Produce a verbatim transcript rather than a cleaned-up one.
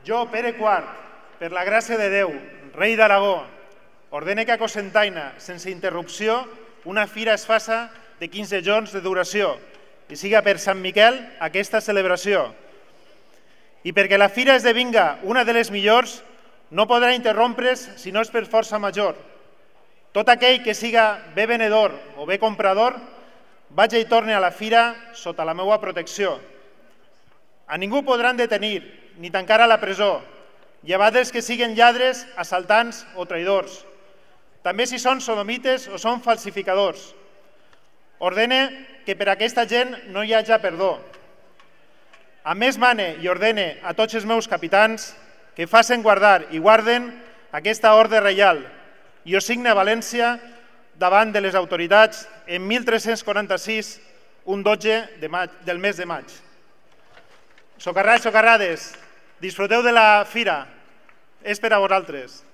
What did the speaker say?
Jo, Pere quart, per la gràcia de Déu, rei d'Aragó, ordene que a Cocentaina, sense interrupció, una fira es faça de quinze jorns de duració i siga per Sant Miquel aquesta celebració. I perquè la fira esdevinga una de les millors, no podrà interrompre's si no és per força major. Tot aquell que siga bé venedor o bé comprador, vaig i torni a la fira sota la meva protecció. A ningú podran detenir ni tancar a la presó, llevat dels que siguen lladres, assaltants o traïdors. També si són sodomites o són falsificadors. Ordene que per aquesta gent no hi hagi perdó. A més mane i ordene a tots els meus capitans que facin guardar i guarden aquesta ordre reial i ho signe a València davant de les autoritats en mil tres-cents quaranta-sis, un dotze del mes de maig. Socarrats, socarrades, disfruteu de la fira, és per a vosaltres.